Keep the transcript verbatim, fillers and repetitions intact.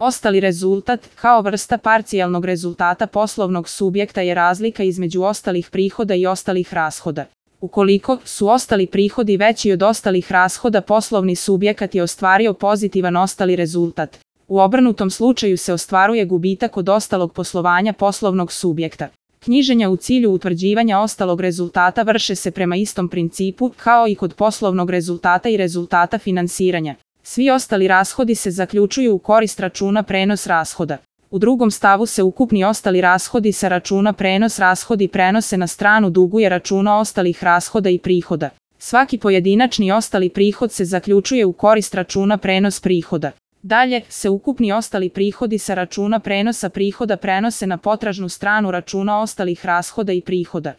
Ostali rezultat, kao vrsta parcijalnog rezultata poslovnog subjekta, je razlika između ostalih prihoda i ostalih rashoda. Ukoliko su ostali prihodi veći od ostalih rashoda, poslovni subjekat je ostvario pozitivan ostali rezultat. U obrnutom slučaju se ostvaruje gubitak od ostalog poslovanja poslovnog subjekta. Knjiženja u cilju utvrđivanja ostalog rezultata vrše se prema istom principu kao i kod poslovnog rezultata i rezultata finansiranja. Svi ostali rashodi se zaključuju u korist računa prenos rashoda. U drugom stavu se ukupni ostali rashodi sa računa prenos rashodi prenose na stranu duguje računa ostalih rashoda i prihoda. Svaki pojedinačni ostali prihod se zaključuje u korist računa prenos prihoda. Dalje se ukupni ostali prihodi sa računa prenosa prihoda prenose na potražnu stranu računa ostalih rashoda i prihoda.